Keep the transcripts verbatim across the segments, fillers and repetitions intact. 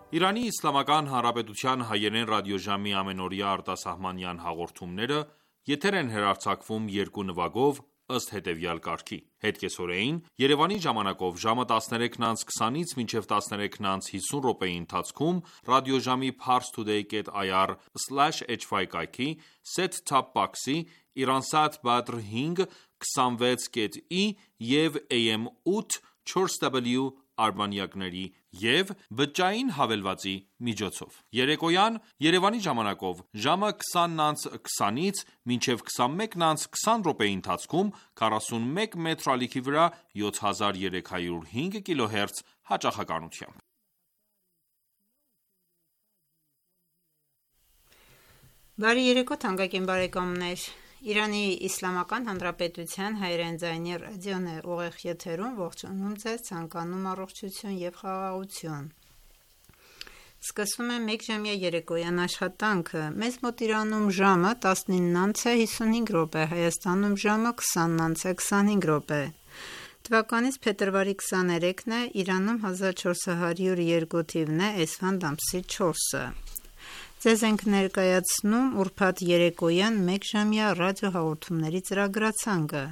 Իրանի Իսլամական Հանրապետության հայերեն ռադիոժամի ամենօրյա արտասահմանյան հաղորդումները եթեր են հեռարձակվում երկու նվագով ըստ հետևյալ կարգի: Հետկեսօրեին Երևանի ժամանակով ժամը տասներեքն անց քսանից մինչև տասներեքն անց հիսուն րոպեի ընթացքում ռադիոժամի parstoday dot i r slash h y կայքի, set-top box-ի, Iransat Badr հինգ քսանվեց կետ ի և A M ութ չորս W արբանյակների և բջջային հավելվածի միջոցով: Երեկոյան Երևանի ժամանակով ժամը քսանն անց քսանից մինչև քսանմեկն անց քսան րոպեի ընթացքում քառասունմեկ մետր ալիքի վրա յոթ հազար երեք հարյուր հինգ կիլոհերց հաճախականությամբ: Բարի երեկո թանկագին բարեկամներ: Իրանի Իսլամական Հանրապետության հայերեն ձայնի ռադիոն է ուղիղ եթերում ողջունում ձեզ, ցանկանում առողջություն և խաղաղություն: Սկսվում է մեկժամյա երեկոյան աշխատանքը: Մեզ մոտ Իրանում ժամը տասնինն անց է հիսունհինգ րոպե, Հայաստանում ժամը քսանն անց է քսանհինգ րոպե: Թվականից փետրվարի քսաներեքն է, Իրանում հազար չորս հարյուր երկու թիվն է, էսֆանդ ամսի չորսը: Ձեզ ենք ներկայացնում ուրբաթ երեկոյան մեկժամյա ռադիոհաղորդումների ծրագրացանկը: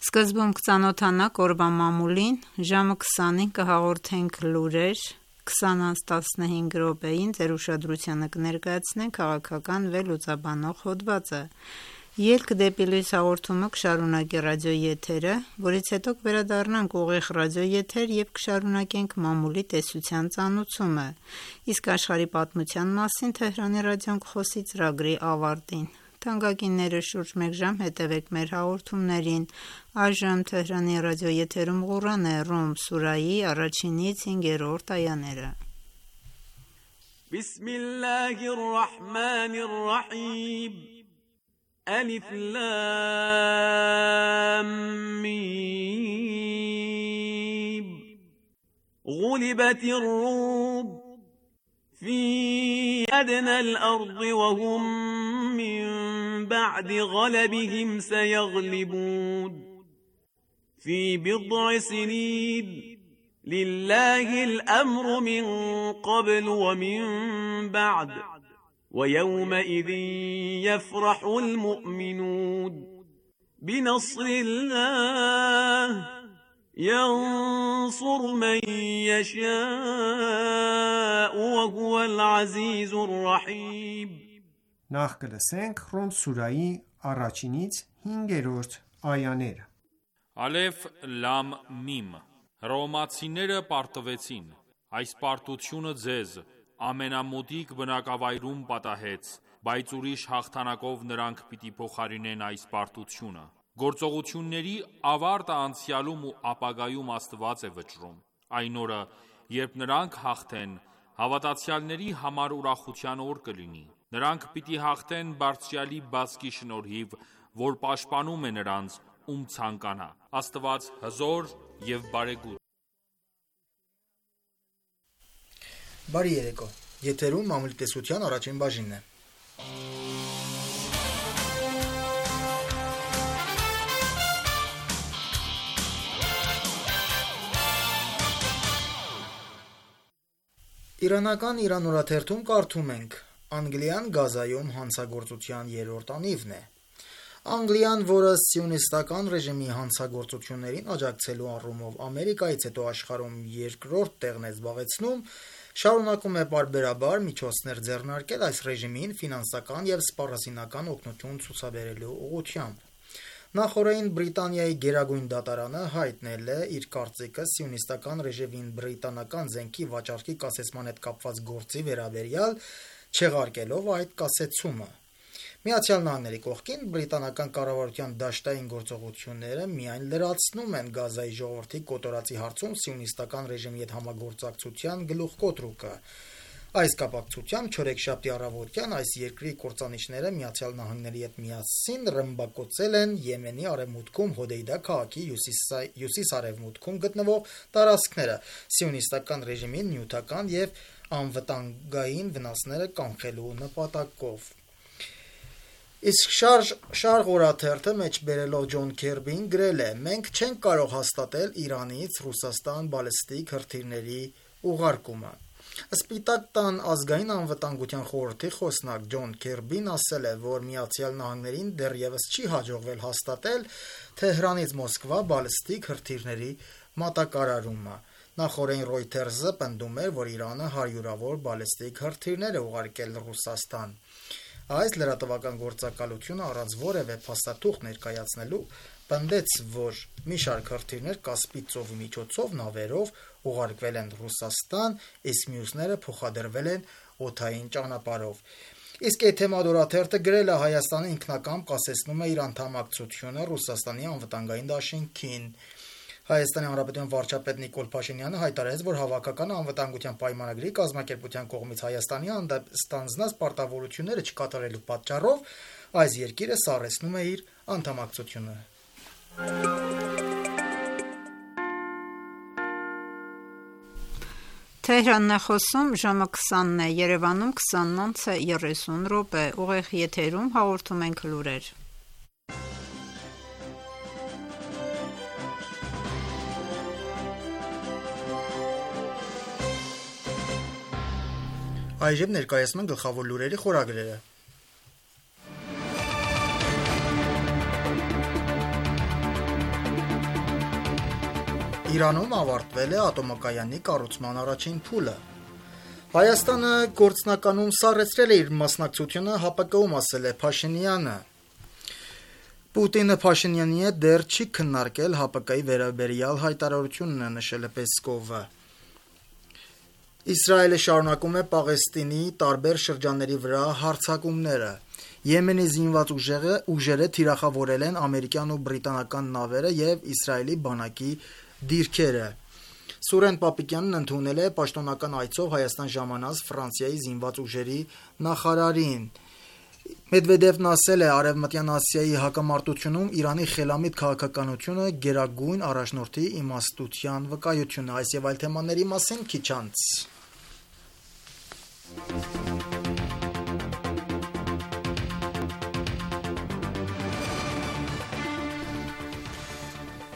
Սկզբում կծանոթանաք օրվա մամուլին, ժամը քսանին կհաղորդենք լուրեր, քսան անց տասնհինգ րոպեին ձեր ուշադրությանը կներկայացնենք քաղաքական վերլուծաբանող հոդվածը: Ելք դեպի լույս հաղորդումը կշարունակի ռադիոեթերը, որից հետո կվերադառնանք ուղիղ ռադիոեթեր և կշարունակենք մամուլի տեսության ծանուցումը, իսկ աշխարհի պատմության մասին Թեհրանի ռադիոն կխոսի ծրագրի ավարտին: Թանկագիններս շուրջ մեկ ժամ հետևեք մեր հաղորդումներին: Այժմ Թեհրանի ռադիոեթերում Ղուրան է, Ռում սուրայի առաջինից հինգերորդ այաները: Բիսմիլլահի ռահմանի ռահիմ Ալիֆ լամ միմ Ղուլիբաթի ռում في أدنى الأرض وهم من بعد غلبهم سيغلبون في بضع سنين لله الأمر من قبل ومن بعد ويومئذ يفرح المؤمنون بنصر الله ينصر من يشاء وهو العزيز الرحيم Նախ կլսենք Ռում սուրայի առաջինից հինգերորդ այաները: Ալեֆ լամ միմ Հռոմեացիները պարտվեցին: Այս պարտությունը ձեզ ամենամոտիկ բնակավայրում պատահեց, բայց ուրիշ հաղթանակով նրանք պիտի փոխարինեն այս պարտությունը: Գործողությունների ավարտը անցյալում ու ապագայում Աստված է վճռում: Այն օրը, երբ նրանք հաղթեն, հավատացյալների համար ուրախության օր կլինի: Նրանք պիտի հաղթեն Բարձրյալի բացկի շնորհիվ, որ պաշտպանում է նրանց, ում ցանկանա: Աստված հզոր և բարեգութ: Բարի երեկո, եթերում մամուլի տեսության առաջին բաժինն է: Իրանական Իրան օրաթերթում կարդում ենք. Անգլիան Գազայում հանցագործության երրորդ անիվն է: Անգլիան, որը սիոնիստական ռեժիմի հանցագործություններին աջակցելու առումով Ամերիկայից հետո աշխարհում երկրորդ տեղն է զբաղեցնում, շարունակում է պարբերաբար միջոցներ ձեռնարկել այս ռեժիմին ֆինանսական և սպառազինական օգնություն ցուցաբերելու ուղղությամբ: Նախօրեին Բրիտանիայի գերագույն դատարանը հայտնել է իր կարծիքը սիոնիստական ռեժիմին բրիտանական զենքի վաճառքի կասեցման հետ կապված գործի վերաբերյալ, չեղարկելով այդ կասեցումը: Միացյալ Նահանգների կողքին, բրիտանական կառավարության դաշտային գործողությունները միայն լրացնում են Գազայի ժողովրդի կոտորածի հարցում սիոնիստական ռեժիմի հետ համագործակցության գլուխկոտրուկը: Այս կապակցությամբ չորեքշաբթի առավոտյան այս երկրի կործանիչները Միացյալ Նահանգների հետ միասին ռմբակոծել են Եմենի արևմուտքում Հոդեյդա քաղաքի հյուսիս-արևմուտքում գտնվող տարածքները, սիոնիստական ռեժիմին նյութական և անվտանգային վնասները կանխելու նպատակով: Իսկ Շարղ օրաթերթը մեջբերելով Ջոն Քերբիին գրել է. «Մենք չենք կարող հաստատել Իրանից Ռուսաստան բալիստիկ հրթիռների ուղարկումը»: Սպիտակ տան ազգային անվտանգության խորհրդի խոսնակ Ջոն Քերբին ասել է, որ Միացյալ Նահանգներին դեռևս չի հաջողվել հաստատել Թեհրանից Մոսկվա բալիստիկ հրթիռների մատակարարումը։ Նախորդին Reuters-ը պնդում էր, որ Իրանը հարյուրավոր բալիստիկ հրթիռներ է ուղարկել Ռուսաստան։ Այս լրատվական գործակալությունը առանց որևէ փաստաթուղթ ներկայացնելու պնդեց, որ մի շարք հրթիռներ Կասպից ծովի միջոցով նավերով ուղարկվել են Ռուսաստան, իսկ մյուսները փոխադրվել են օդային ճանապարհով։ Իսկ Էթեմադորաթերթը գրել է Հայաստանը ինքնակամ կասեցնում է իր անդամակցությունը Ռուսաստանի անվտանգային դաշինքին։ Հայաստանի Հանրապետության վարչապետ Նիկոլ Փաշինյանը հայտարարեց, որ հավաքական անվտանգության պայմանագրի կազմակերպության կողմից Հայաստանի հանդեպ ստանձնած պարտավորությունները չկատարելու պատճառով այս երկիրը սառեցնում է իր անդամակցությունը։ Թեհրանն է խոսում, ժամը քսանն է, Երևանում քսանն է երեսուն րոպե, ուղիղ եթերում հաղորդում ենք լուրեր։ Այժմ ներկայացնում են գլխավոր լուրերի խորագրերը։ Իրանում ավարտվել է ատոմակայանի կառուցման առաջին փուլը։ Հայաստանը գործնականում սառեցրել է իր մասնակցությունը ՀԱՊԿ-ում, ասել է Փաշինյանը։ Պուտինը Փաշինյանի հետ դեռ չի քննարկել ՀԱՊԿ-ի վերաբերյալ հայտարարությունն է, նշել է Պեսկովը։ Իսրայելը շարունակում է Պաղեստինի տարբեր շրջանների վրա հարձակումները։ Եմենի զինված ուժերը, ուժերը թիրախավորել են ամերիկյան ու բրիտանական նավերը եւ Իսրայելի բանակի դիրքերը։ Սուրեն Պապիկյանն ընդունել է պաշտոնական այցով Հայաստան ժամանած Ֆրանսիայի զինված ուժերի նախարարին։ Մեդվեդևն ասել է, Արևմտյան Ասիայի հակամարտությունում Իրանի խելամիտ քաղաքականությունը գերագույն առաջնորդի իմաստության վկայություն է։ Այս եւ այլ թեմաների մասին քիչ անց։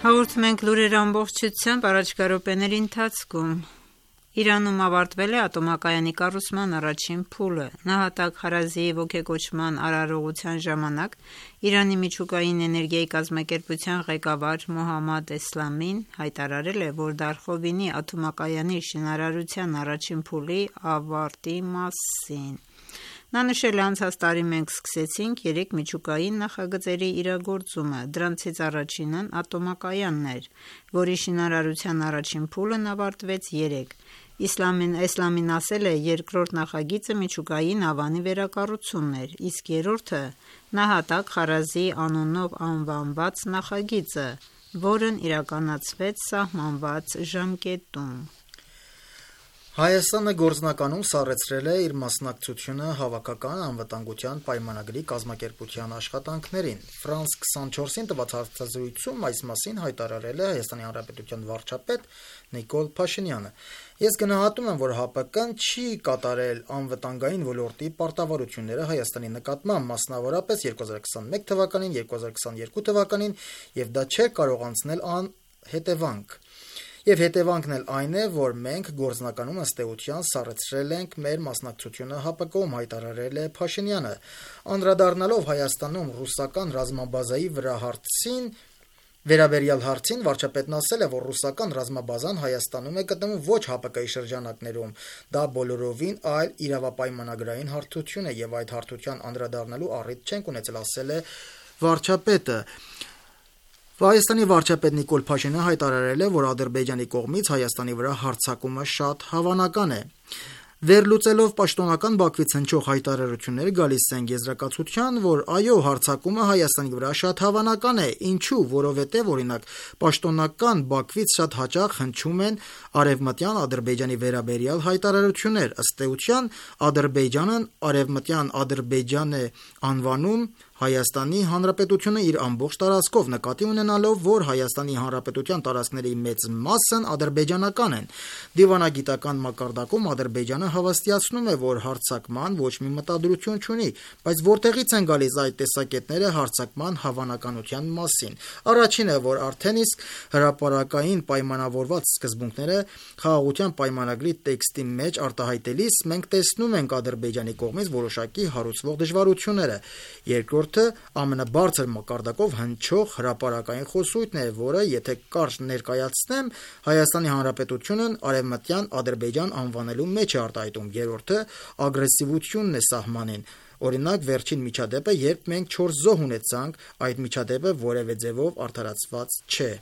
Հաղորդում ենք լուրեր ամբողջությամբ առաջկա րոպեների ընթացքում։ Իրանում ավարտվել է ատոմակայանի կառուցման առաջին փուլը։ Նահատակ Խարազիի ոգեկոչման արարողության ժամանակ Իրանի միջուկային էներգիայի կազմակերպության ղեկավար Մոհամմադ Էսլամին հայտարարել է, որ Դարխովինի ատոմակայանի շինարարության առաջին փուլի ավարտի մասին։ Նա նշել է, անցած տարի մենք սկսեցինք երեք միջուկային նախագծերի իրագործումը, դրանցից առաջինն ատոմակայանն էր, որի շինարարության առաջին փուլն ավարտվեց երեկ։ Իսլամին Էսլամին ասել է, երկրորդ նախագիծը միջուկային ավանի վերակառուցումն էր, իսկ երրորդը նահատակ Խարազի անունով անվանված նախագիծը, որն իրականացվեց սահմանված ժամկետում։ Հայաստանը գործնականում սառեցրել է իր մասնակցությունը հավաքական անվտանգության պայմանագրի կազմակերպության աշխատանքներին։ Ֆրանս քսանչորսին տված հարցազրույցում այս մասին հայտարարել է Հայաստանի Հանրապետության վարչապետ Նիկոլ Փաշինյանը։ Ես գնահատում եմ, որ ՀԱՊԿ-ն չի կատարել անվտանգային ոլորտի պարտավորությունները Հայաստանի նկատմամբ, մասնավորապես երկու հազար քսանմեկ թվականին, երկու հազար քսաներկու թվականին, եւ դա չէր կարող անցնել անհետևանք։ Եվ հետևանքն էլ այն է, որ մենք գործնականում ըստ էության սառեցրել ենք մեր մասնակցությունը ՀԱՊԿ-ում, հայտարարել է Փաշինյանը։ Անդրադառնալով Հայաստանում ռուսական ռազմաբազայի վրա հարցին վերաբերյալ հարցին, վարչապետն ասել է, որ ռուսական ռազմաբազան Հայաստանում է գտնվում ոչ ՀԱՊԿ-ի շրջանակներում։ Դա բոլորովին այլ իրավապայմանագրային հարթություն է եւ այդ հարթության անդրադառնալու առիթ չենք ունեցել, ասել է վարչապետը։ Հայաստանի վարչապետ Նիկոլ Փաշինյանը հայտարարել է, որ Ադրբեջանի կողմից Հայաստանի վրա հարձակումը շատ հավանական է։ Վերլուծելով պաշտոնական Բաքվից հնչող հայտարարությունները գալիս են եզրակացության, որ այո, հարձակումը Հայաստանի վրա շատ հավանական է, ինչու, որովհետև օրինակ պաշտոնական Բաքվից շատ հաճախ հնչում են արևմտյան Ադրբեջանի վերաբերյալ հայտարարություններ, ըստ էության Ադրբեջանն արևմտյան Ադրբեջան է անվանում Հայաստանի Հանրապետությունը իր ամբողջ տարածքով, նկատի ունենալով, որ Հայաստանի Հանրապետության տարածքների մեծ մասն ադրբեջանական են։ Դիվանագիտական մակարդակում Ադրբեջանը հավաստիացնում է, որ հարձակման ոչ մի մտադրություն չունի, բայց որտեղից են գալիս այդ տեսակետները հարձակման հավանականության մասին։ Առաջինը, որ արդեն իսկ հրապարակային պայմանավորված սկզբունքները խաղաղության պայմանագրի տեքստի մեջ արտահայտելիս մենք տեսնում ենք Ադրբեջանի կողմից որոշակի հարուցվող դժվարությունները։ Երկրորդ ամենաբարձր մակարդակով հնչող հրապարակային խոսույթն է, որը, եթե կարճ ներկայացնեմ, Հայաստանի Հանրապետությունն արևմտյան Ադրբեջան անվանելու մեջ է արտահայտում։ Երրորդը ագրեսիվությունն է սահմանին։ Օրինակ, վերջին միջադեպը, երբ մենք չորս զոհ ունեցանք, այդ միջադեպը որևէ ձևով արդարացված չէ։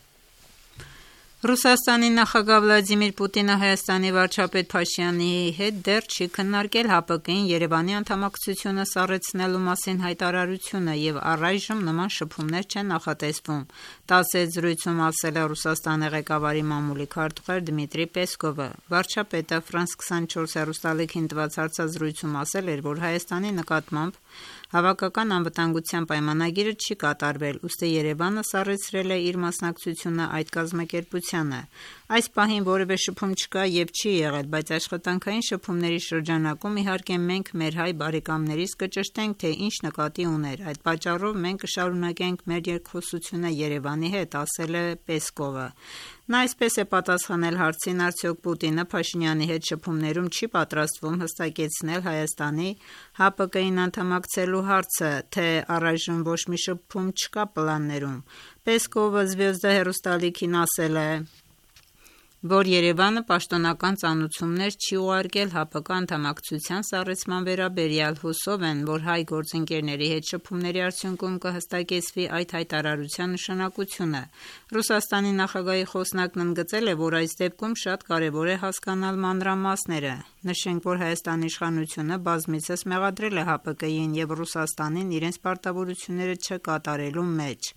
Ռուսաստանի նախագահ Վլադիմիր Պուտինը Հայաստանի վարչապետ Փաշինյանի հետ դեռ չի քննարկել ՀԱՊԿ-ին Երևանի անդամակցությունը սառեցնելու մասին հայտարարությունը եւ առայժմ նման շփումներ չեն նախատեսվում, տասեց զրույցում ասել է Ռուսաստանի ղեկավարի մամուլի քարտուղար Դմիտրի Պեսկովը։ Վարչապետը Ֆրանս քսանչորս հեռուստաալիքին տված հարցազրույցում ասել էր, որ Հայաստանի նկատմամբ Հավաքական անվտանգության պայմանագիրը չի կատարվել, ուստի Երևանը սառեցրել է իր մասնակցությունը այդ կազմակերպությանը։ Այս պահին որևէ շփում չկա եւ չի եղել, բայց աշխատանքային շփումների շրջանակում իհարկե մենք մեր հայ բարեկամներից կճշտենք, թե ինչ նկատի ուներ։ Այդ պատճառով մենք կշարունակենք մեր երկխոսությունը Երևանի հետ, ասել է Պեսկովը։ Նա այսպես է պատասխանել հարցին, արդյոք Պուտինը Փաշինյանի հետ շփումներում չի պատրաստվում հստակեցնել Հայաստանի ՀԱՊԿ-ին անդամակցելու հարցը, թե առայժմ ոչ մի շփում չկա պլաններում։ Պեսկովը Զվեզդա հեռուստաալիքին ասել է, որ Երևանը պաշտոնական ծանուցումներ չի ուղարկել ՀԱՊԿ անդամակցության սառեցման վերաբերյալ, հուսով են, որ հայ գործընկերների հետ շփումների արդյունքում կհստակեցվի այդ հայտարարության նշանակությունը։ Ռուսաստանի նախագահի խոսնակն ընդգծել է, որ այս դեպքում շատ կարևոր է հասկանալ մանրամասները։ Նշենք, որ Հայաստանի իշխանությունը բազմիցս մեղադրել է ՀԱՊԿ-ին եւ Ռուսաստանին իրենց պարտավորությունները չկատարելու մեջ։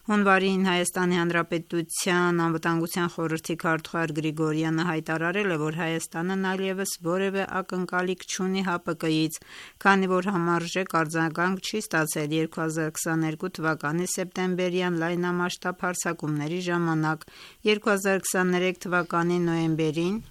Հունվարին Հայաստանի Հանրապետության անվտանգության խորհրդի քարտուղար Գրիգորյանը հայտարարել է, որ Հայաստանն այլևս որևէ ակնկալիք չունի ՀԱՊԿ-ից, քանի որ համարժեք արձագանք չի ստացել երկու հազար քսաներկու թվականի սեպտեմբերյան լայնամասշտաբ հարձակումների ժամանակ։ երկու հազար քսաներեք թվականի նոյեմբերին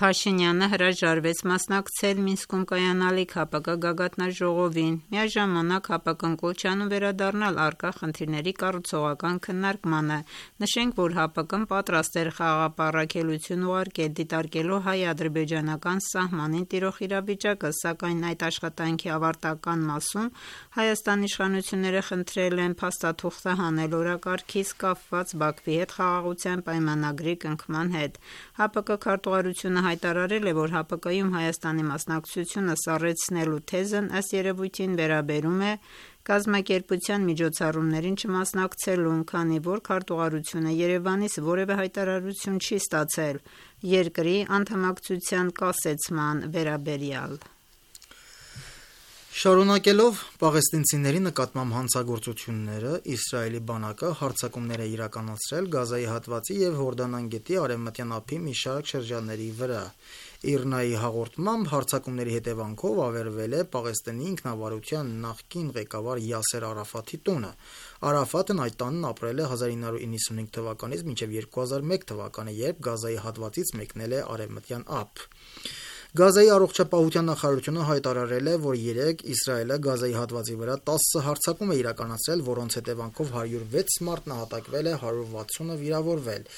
Փաշինյանը հրաժարվեց մասնակցել Մինսկում կայանալիք ՀԱՊԿ գագաթնաժողովին։ Միաժամանակ ՀԱՊԿ-ն կոչ է անում վերադառնալ առկա խնդիրների կառուցողական քննարկմանը։ Նշենք, որ ՀԱՊԿ-ն պատրաստ էր խաղաղապահարակելություն ուղարկել դիտարկելու հայ-ադրբեջանական սահմանին տիրող իրավիճակը, սակայն այդ աշխատանքի ավարտական մասում Հայաստանի իշխանությունները խնդրել են փաստաթուղթը հանել օրակարգից կապված Բաքվի հետ խաղաղության պայմանագրի կնքման հետ։ ՀԱՊԿ քարտուղարությունը հայտարարել է, որ ՀԱՊԿ-ում Հայաստանի մասնակցությունը սառեցնելու թեզն ըստ երևույթին վերաբերում է կազմակերպության միջոցառումներին չմասնակցելուն, քանի որ քարտուղարությունը Երևանից որևէ հայտարարություն չի ստացել երկրի անդամակցության կասեցման վերաբերյալ։ Շարունակելով պաղեստինցիների նկատմամբ հանցագործությունները, Իսրայելի բանակը հարձակումներ է իրականացրել Գազայի հատվածի և Հորդանան գետի արևմտյան ափի մի շարք շրջանների վրա։ ԻՌՆԱ-ի հաղորդմամբ հարձակումների հետևանքով ավերվել է Պաղեստինի ինքնավարության նախկին ղեկավար Յասեր Արաֆաթի տունը։ Արաֆաթն այդ տանն ապրել է հազար ինը հարյուր իննսունհինգ թվականից մինչև երկու հազար մեկ թվականը, երբ Գազայի հատվածից մեկնել է արևմտյան ափ։ Գազայի առողջապահության նախարարությունը հայտարարել է, որ երեկ Իսրայելը Գազայի հատվածի վրա տասը հարձակում է իրականացրել, որոնց հետևանքով հարյուր վեց մարդ նահատակվել է, հարյուր վաթսունը վիրավորվել։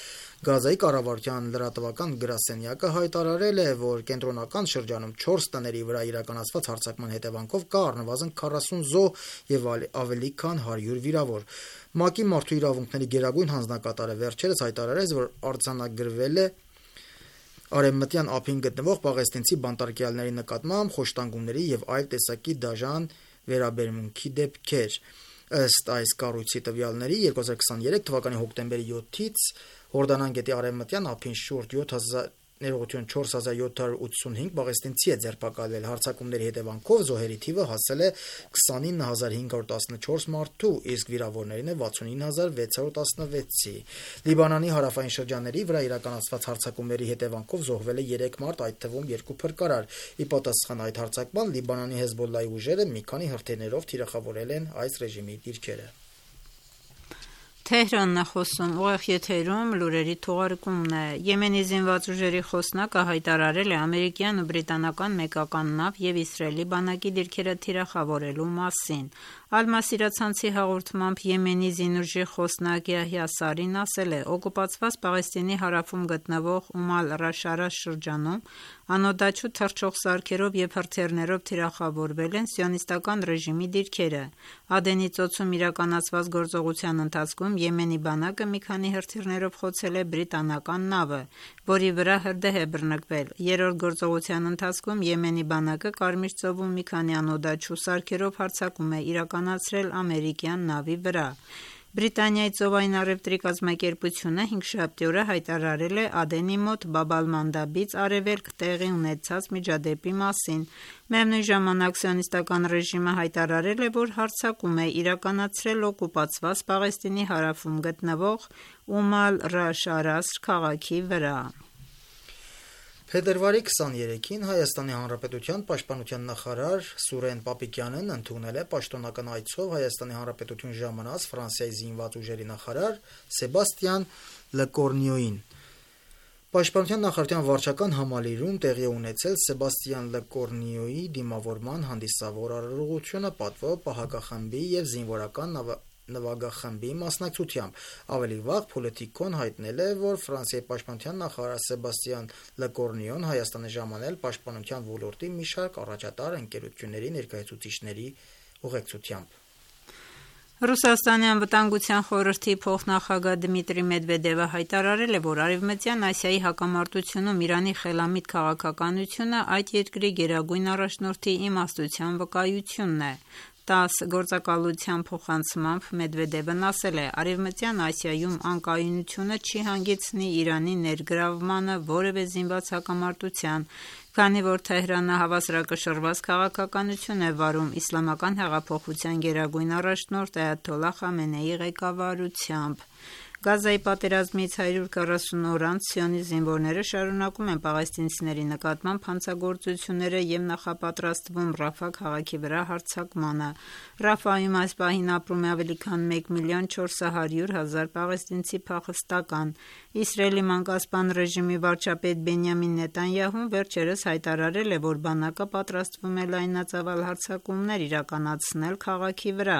Գազայի կառավարության լրատվական գրասենյակը հայտարարել է, որ կենտրոնական շրջանում չորս տների վրա իրականացված հարձակման հետևանքով կա առնվազն քառասուն զոհ եւ ավելի քան հարյուր վիրավոր։ ՄԱԿ-ի մարդու իրավունքների գերագույն հանձնակատարը վերջերս հայտարարեց, որ արձանագրվել է արևմտյան ափին գտնվող պաղեստինցի բանտարկյալների նկատմամբ խոշտանգումների եւ այլ տեսակի դաժան վերաբերմունքի դեպքեր։ Ըստ այս կառույցի տվյալների երկու հազար քսաներեք թվականի հոկտեմբերի յոթից Հորդանան գետի արևմտյան ափին շուրջ յոթ հազար ներողություն չորս հազար յոթ հարյուր ութսունհինգ պաղեստինցի է ձերբակալվել։ Հարձակումների հետևանքով զոհերի թիվը հասել է քսանինը հազար հինգ հարյուր տասնչորս մարդու, իսկ վիրավորներին է վաթսունինը հազար վեց հարյուր տասնվեցի։ Լիբանանի հարավային շրջանների վրա իրականացված հարձակումների հետևանքով զոհվել է երեք մարդ, այդ թվում երկու փրկարար։ Ի պատասխան այդ հարձակման Լիբանանի Հեզբոլլահի ուժերը մի քանի հրթիռներով թիրախավորել են այս ռեժիմի դիրքերը։ Թեհրանն է խոսում, ուղիղ եթերում լուրերի թողարկումն է։ Եմենի զինված ուժերի խոսնակը հայտարարել է ամերիկյան ու բրիտանական մեկական նավ եւ Իսրայելի բանակի դիրքերը թիրախավորելու մասին։ Ալ-Մասիրա ցանցի հաղորդմամբ Եմենի զինուժի խոսնակ Յահյա Սարին ասել է. «Օկուպացված Պաղեստինի հարավում գտնվող Ում ալ-Ռաշարաշ շրջանում անօդաչու թռչող սարքերով եւ հրթիռներով թիրախավորվել են սիոնիստական ռեժիմի դիրքերը։ Ադենի ծոցում իրականացված գործողության ընթացքում Եմենի բանակը մի քանի հրթիռներով խոցել է բրիտանական նավը, որի վրա հրդեհ է բռնկվել։ Երրորդ գործողության ընթացքում Եմենի բանակը Կարմիր ծովում մի քանի անօդաչու սարքերով հարձակում է իրականացրել ամերիկյան նավի վրա»։ Բրիտանիայի ծովային առևտրի կազմակերպությունը հինգշաբթի օրը հայտարարել է Ադենի մոտ Բաբ-ալ-Մանդաբից արևելք տեղի ունեցած միջադեպի մասին։ Միևնույն ժամանակ սիոնիստական ռեժիմը հայտարարել է, որ հարձակում է իրականացրել օկուպացված Պաղեստինի հարավում գտնվող Ում ալ-Ռաշարաշ քաղաքի վրա։ Փետրվարի քսաներեքին Հայաստանի Հանրապետության պաշտպանության նախարար Սուրեն Պապիկյանն ընդունել է պաշտոնական այցով Հայաստանի Հանրապետություն ժամանած Ֆրանսիայի զինված ուժերի նախարար Սեբաստիան Լեկորնիոին։ Պաշտպանության նախարարության վարչական համալիրում տեղի ունեցել Սեբաստիան Լեկորնիոյի դիմավորման հանդիսավոր արարողությունը պատվո պահակախմբի եւ զինվորական նվագախմբի մասնակցությամբ։ Ավելի վաղ Պոլիտիկոն հայտնել է, որ Ֆրանսիայի պաշտպանության նախարար Սեբաստիան Լեկորնիոն Հայաստան է ժամանել պաշտպանության ոլորտի մի շարք առաջատար ընկերությունների ներկայացուցիչների ուղեկցությամբ։ Ռուսաստանի անվտանգության խորհրդի փոխնախագահ Դմիտրի Մեդվեդևը հայտարարել է, որ Արևմտյան Ասիայի հակամարտությունում Իրանի խելամիտ քաղաքականությունը այդ երկրի գերագույն առաջնորդի իմաստության վկայությունն է։ տաս գործակալության փոխանցմամբ Մեդվեդևն ասել է. «Արևմտյան Ասիայում անկայունությունը չի հանգեցնի Իրանի ներգրավմանը որևէ զինված հակամարտության, քանի որ Թեհրանը հավասարակշռված քաղաքականություն է վարում իսլամական հեղափոխության գերագույն առաջնորդ Այաթոլլահ Խամենեիի ղեկավարությամբ»։ Գազայի պատերազմից հարյուր քառասուն օր անց սիոնիստ զինվորները շարունակում են պաղեստինցիների նկատմամբ հանցագործությունները եւ նախապատրաստվում Ռաֆա քաղաքի վրա հարձակմանը։ Ռաֆայում այս պահին ապրում է ավելի քան մեկ միլիոն չորս հարյուր հազար պաղեստինցի փախստական։ Իսրայելի մանկասպան ռեժիմի վարչապետ Բենյամին Նետանյահուն վերջերս հայտարարել է, որ բանակը պատրաստվում է լայնածավալ հարձակումներ իրականացնել քաղաքի վրա։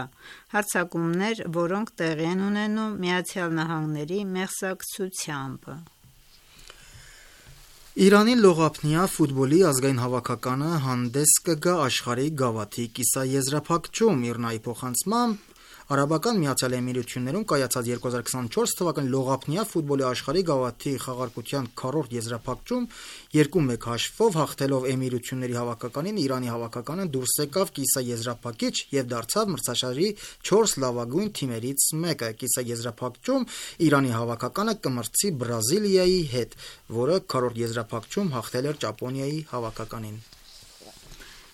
Հարձակումներ, որոնք տեղի են ունենում Միացյալ Նահանգների մեղսակցությամբ։ Իրանի լողափնյա ֆուտբոլի ազգային հավաքականը հանդես կգա աշխարհի գավաթի կիսաեզրափակչում։ Իրնայի փոխանցմամբ Արաբական Միացյալ Էմիրություններում կայացած երկու հազար քսանչորս թվականի լողափնյա ֆուտբոլի աշխարհի գավաթի խաղարկության քառորդ եզրափակչում երկու մեկ հաշվով հաղթելով Էմիրությունների հավաքականին Իրանի հավաքականը դուրս եկավ կիսաեզրափակիչ եւ դարձավ մրցաշարի չորս լավագույն թիմերից մեկը։ Կիսաեզրափակչում Իրանի հավաքականը կմրցի Բրազիլիայի հետ, որը քառորդ եզրափակչում հաղթել էր Ճապոնիայի հավաքականին։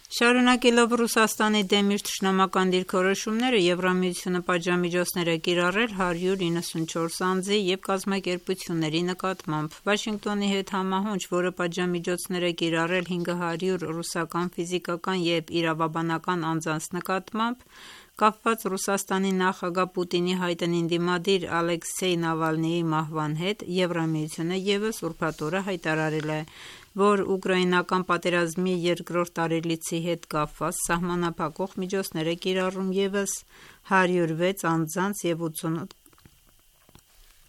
Շարունակելով Ռուսաստանի դեմ իր թշնամական դիրքորոշումները, Եվրամիությունը պատժամիջոցներ է կիրառել հարյուր իննսունչորս անձի եւ կազմակերպությունների նկատմամբ։ Վաշինգտոնի հետ համահունչ, որը պատժամիջոցներ է կիրառել հինգ հարյուր ռուսական ֆիզիկական եւ իրավաբանական անձանց նկատմամբ, կապված Ռուսաստանի նախագահ Պուտինի հայտնին դիմադիր Ալեքսեյ Նավալնիի մահվան հետ, Եվրամիությունը եւս ուրբաթ օրը հայտարարել է, որ ուկրաինական պատերազմի երկրորդ տարելիցի հետ կապված սահմանափակող միջոցներ է կիրառում եւս հարյուր վեց անձանց եւ ութսունութ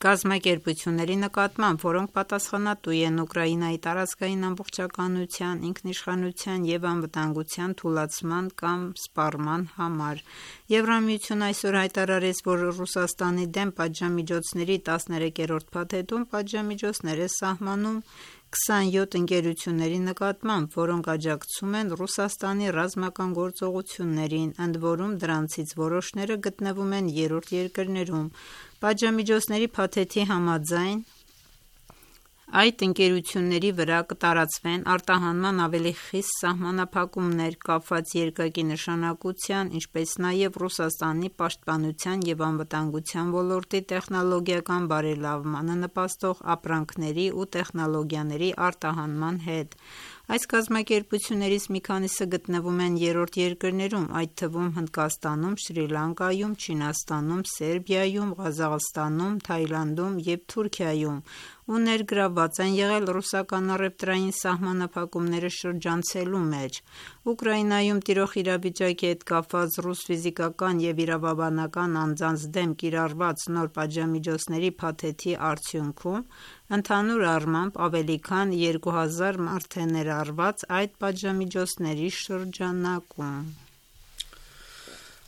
կազմակերպությունների նկատմամբ, որոնք պատասխանատու են Ուկրաինայի տարածքային ամբողջականության, ինքնիշխանության եւ անվտանգության թուլացման կամ սպառման համար։ Եվրամիությունը այսօր հայտարարեց, որ Ռուսաստանի դեմ պատժամիջոցների տասներեքերորդ փաթեթում պատժամիջոցներ է սահմանում քսանյոթ ընկերությունների նկատմամբ, որոնք աջակցում են Ռուսաստանի ռազմական գործողություններին, ընդ որում դրանցից որոշները գտնվում են երրորդ երկրներում։ Պատժամիջոցների փաթեթի համաձայն Այդ ընկերությունների վրա կտարածվեն արտահանման ավելի խիստ սահմանափակումներ կապված երկակի նշանակության, ինչպես նաև Ռուսաստանի պաշտպանության և անվտանգության ոլորտի տեխնոլոգիական բարելավմանը նպաստող ապրանքների ու տեխնոլոգիաների արտահանման հետ։ Այս կազմակերպություններից մի քանիսը գտնվում են երրորդ երկրներում, այդ թվում Հնդկաստանում, Շրի Լանկայում, Չինաստանում, Սերբիայում, Ղազախստանում, Թայլանդում և Թուրքիայում ու ներգրավված են եղել ռուսական առևտրային սահմանափակումները շրջանցելու մեջ։ Ուկրաինայում տիրող իրավիճակի հետ կապված ռուս ֆիզիկական և իրավաբանական անձանց դեմ կիրառված նոր պատժամիջոցների փաթեթի արդյունքում ընդհանուր առմամբ ավելի քան երկու հազար մարդ է ներառված այդ պատժամիջոցների շրջանակում։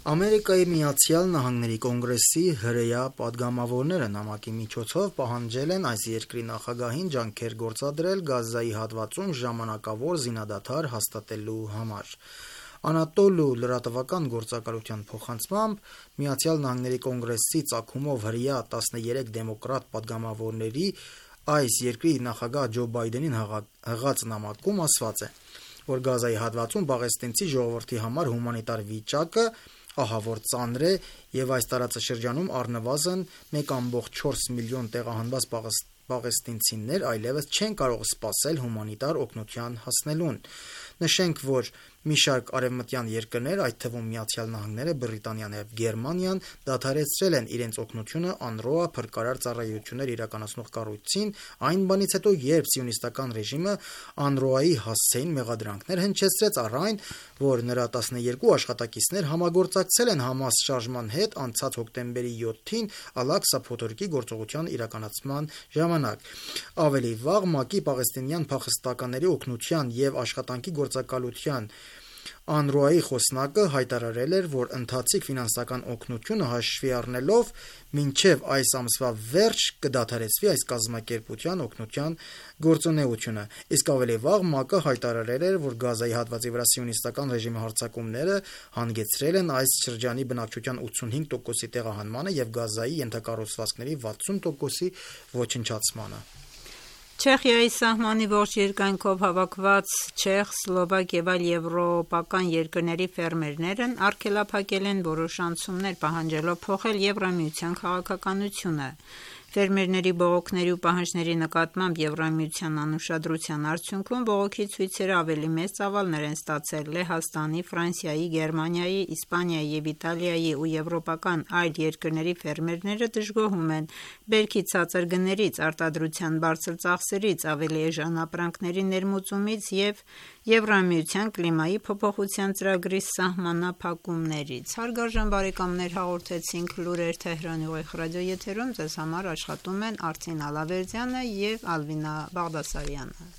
Ամերիկայի Միացյալ Նահանգների կոնգրեսի հրեա պատգամավորները նամակի միջոցով պահանջել են այս երկրի նախագահին ջանքեր գործադրել Գազայի հատվածում ժամանակավոր զինադադար հաստատելու համար։ Անատոլու լրատվական գործակալության փոխանցմամբ Միացյալ Նահանգների կոնգրեսի ծագումով հրեա տասներեք դեմոկրատ պատգամավորների այս երկրի նախագահ Ջո Բայդենին հղած նամակում ասված է, որ Գազայի հատվածում պաղեստինցի ժողովրդի համար հումանիտար վիճակը ահավոր ծանր է և այս տարածաշրջանում առնվազն մեկ կόμկոմ չորս միլիոն տեղահանված պաղեստինցիներ այլևս չեն կարող սպասել հումանիտար օգնության հասնելուն։ Նշենք, որ մի շարք արևմտյան երկրներ, այդ թվում Միացյալ Նահանգները, Բրիտանիան և Գերմանիան դադարեցրել են իրենց օգնությունը ԱՆՌՈԱ փրկարար ծառայություններ իրականացնող կառույցին այն բանից հետո, երբ սիոնիստական ռեժիմը ԱՆՌՕ-ի հասցեին մեղադրանքներ հնչեցրեց առ այն, որ նրա տասներկու աշխատակիցներ համագործակցել են ՀԱՄԱՍ շարժման հետ անցած հոկտեմբերի յոթին Ալ-Աղսա փոթորկի գործողության իրականացման ժամանակ։ Ավելի վաղ ՄԱԿ-ի պաղեստինյան փախստականների օգնության և աշխատանքի գործակալության ԱՆՌՕ-ի խոսնակը հայտարարել էր, որ ընթացիկ ֆինանսական օգնությունը հաշվի առնելով մինչև այս ամսվա վերջ կդադարեցվի այս կազմակերպության օգնության գործունեությունը։ Իսկ ավելի վաղ ՄԱԿ-ը հայտարարել էր, որ Գազայի հատվածի վրա սիոնիստական ռեժիմի հարձակումները հանգեցրել են այս շրջանի բնակչության ութսունհինգ տոկոսի տեղահանմանը և Գազայի ենթակառուցվածքների վաթսուն տոկոսի ոչնչացմանը։ Չեխիայի սահմանի ողջ երկայնքով հավաքված չեխ, սլովակ և այլ եվրոպական երկրների ֆերմերներն արգելափակել են որոշ անցումներ, պահանջելով փոխել Եվրամիության քաղաքականությունը։ Ֆերմերների բողոքների ու պահանջների նկատմամբ Եվրամիության անուշադրության արդյունքում բողոքի ցույցերը ավելի մեծ ծավալներ են ստացել Լեհաստանի, Ֆրանսիայի, Գերմանիայի, Իսպանիայի և Իտալիայի ու եվրոպական այլ երկրների ֆերմերները դժգոհում են բերքի ցածր գներից, արտադրության բարձր ծախսերից, ավելի էժան ապրանքների ներմուծումից և Եվրամիության կլիմայի փոփոխության ծրագրի սահմանափակումներից։ Հարգարժան բարեկամներ, հաղորդեցինք լուրեր Թեհրանի ուղիղ ռադիոեթերում, ձեզ համար աշխատում են Արծին Ալավերդյանը և Ալվինա Բաղդասարյանը։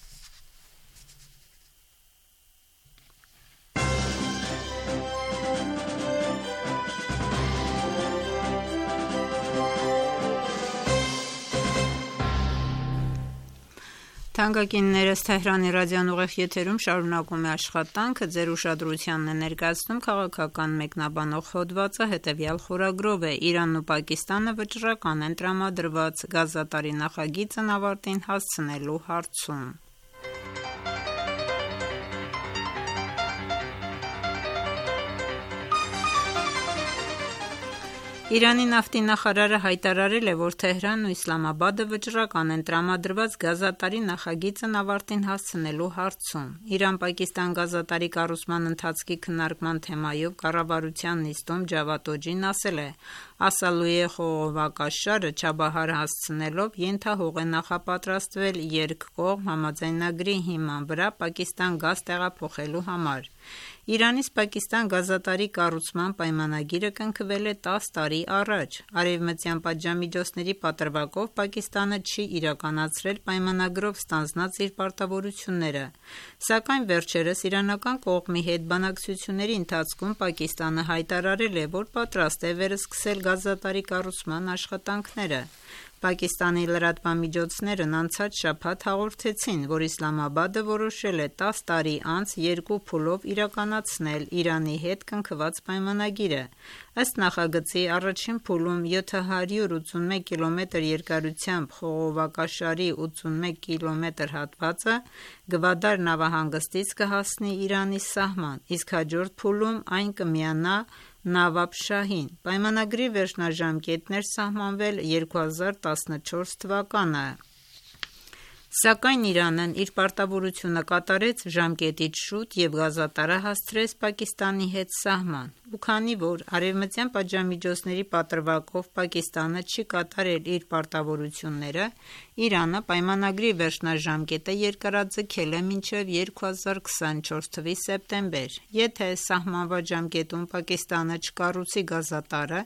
Թանկագիններս, Թեհրանի ռադիոն ուղիղ եթերում շարունակում է աշխատանքը, ձեր ուշադրությանն է ներկայացնում քաղաքական մեկնաբանող հոդվածը, հետևյալ խորագրով է. Իրանն ու Պակիստանը վճռական են տրամադրված գազատարի նախագիծն ավարտին հասցնելու հարցում։ Իրանի նավթի նախարարը հայտարարել է, որ Թեհրանն ու Իսլամաբադը վճռական են տրամադրված գազատարի նախագիծն ավարտին հասցնելու հարցում։ Իրան-Պակիստան գազատարի կառուցման ընթացքի քննարկման թեմայով կառավարության նիստում Ջավադ Օջին ասել է. Ասալույե խողովակաշարը Չաբահար հասցնելով ենթահող է նախապատրաստվել երկկողմ համաձայնագրի հիման վրա Պակիստան գազ տեղափոխելու համար։ Իրանից Պակիստան գազատարի կառուցման պայմանագիրը կնքվել է տասը տարի առաջ։ Արևմտյան պատժամիջոցների պատրվակով Պակիստանը չի իրականացրել պայմանագրով ստանձնած իր պարտավորությունները։ Սակայն վերջերս իրանական կողմի հետ բանակցությունների ընթացքում Պակիստանը հայտարարել է, որ պատրաստ է վերսկսել գազատարի կառուցման աշխատանքները։ Պակիստանի լրատվամիջոցներն անցած շաբաթ հաղորդեցին, որ Իսլամաբադը որոշել է տաս տարի անց երկու փուլով իրականացնել Իրանի հետ կնքված պայմանագիրը։ Ըստ նախագծի առաջին փուլում յոթ հարյուր ութսունմեկ կիլոմետր երկարությամբ խողովակաշարի ութսունմեկ կիլոմետր հատվածը Գվադար նավահանգստից կհասնի Իրանի սահման, իսկ հաջորդ փուլում այն կմիանա Նավաբշահին։ Պայմանագրի վերջնաժամկետն էր սահմանվել երկու հազար տասնչորս թվականը, սակայն Իրանն իր պարտավորությունը կատարեց ժամկետից շուտ և գազատարը հասցրեց Պակիստանի հետ սահման։ Ու քանի որ արևմտյան պատժամիջոցների պատրվակով Պակիստանը չի կատարել իր պարտավորությունները, Իրանը պայմանագրի վերջնաժամկետը երկարաձգել է մինչև երկու հազար քսանչորս թվականի սեպտեմբեր։ Եթե սահմանված ժամկետում Պակիստանը չկառուցի գազատարը,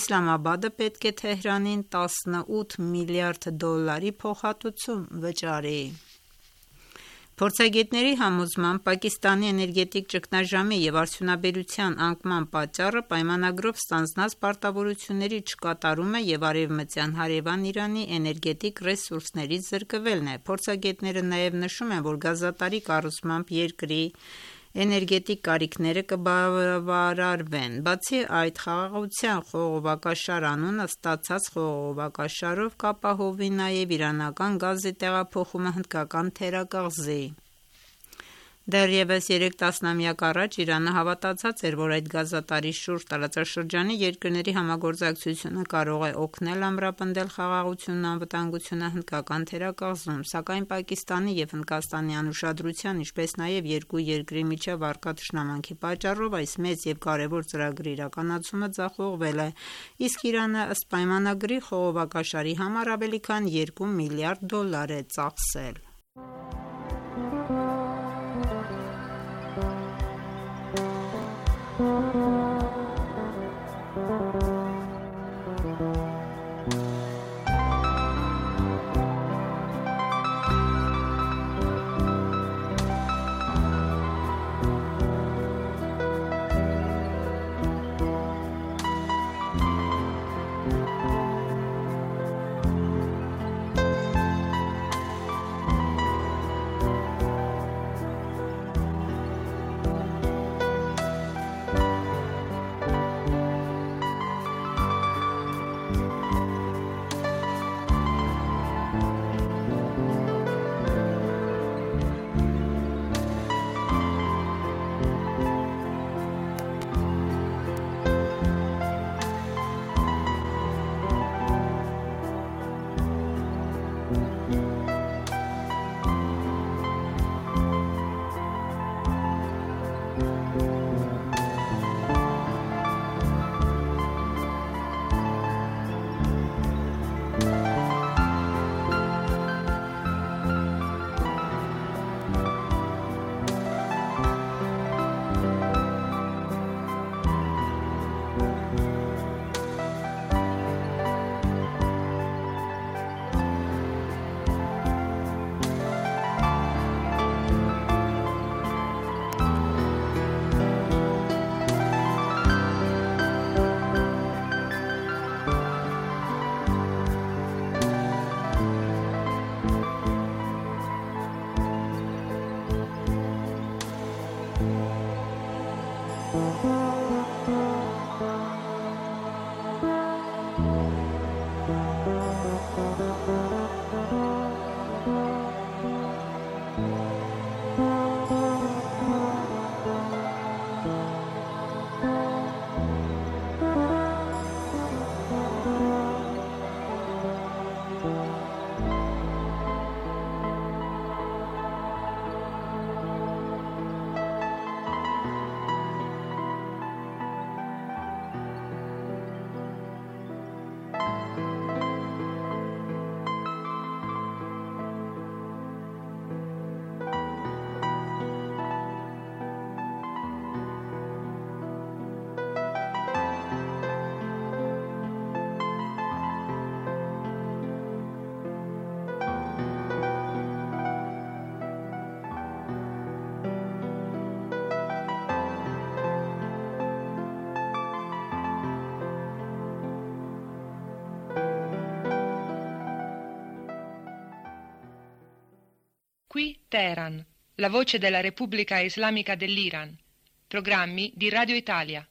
Իսլամաբադը պետք է Թեհրանին տասնութ միլիարդ դոլարի փոխհատուցում վճարի։ Փորձագետների համոզմամբ Պակիստանի էներգետիկ ճգնաժամի և արդյունաբերության անկման պատճառը պայմանագրով ստանձնած պարտավորությունների չկատարումը և արևմտյան հարևան Իրանի էներգետիկ ռեսուրսներից զրկվելն է։ Փորձագետները նաև նշում են, որ գազատարի կառուցմամբ երկրի էներգետիկ կարիքները կբավարարվեն։ Բացի այդ, խաղաղության խողովակաշար անունը ստացած խողովակաշարով կապահովի նաև իրանական գազի տեղափոխումը Հնդկական թերակղզի։ Դեռևս երեք տասնամյակ առաջ Իրանը հավատացած էր, որ այդ գազատարի շուրջ տարածաշրջանի երկրների համագործակցությունը կարող է օգնել ամրապնդել խաղաղությունն ու անվտանգությունը Հնդկական թերակղզում, սակայն Պակիստանի և Հնդկաստանի անուշադրության, ինչպես նաև երկու երկրի միջև առկա թշնամանքի պատճառով այս մեծ և կարևոր ծրագրի իրականացումը ձախողվել է, իսկ Իրանը ըստ պայմանագրի խողովակաշարի համար ավելի քան երկու միլիարդ դոլար է ծախսել։ Qui Teheran, la voce della Repubblica Islamica dell'Iran. Programmi di Radio Italia.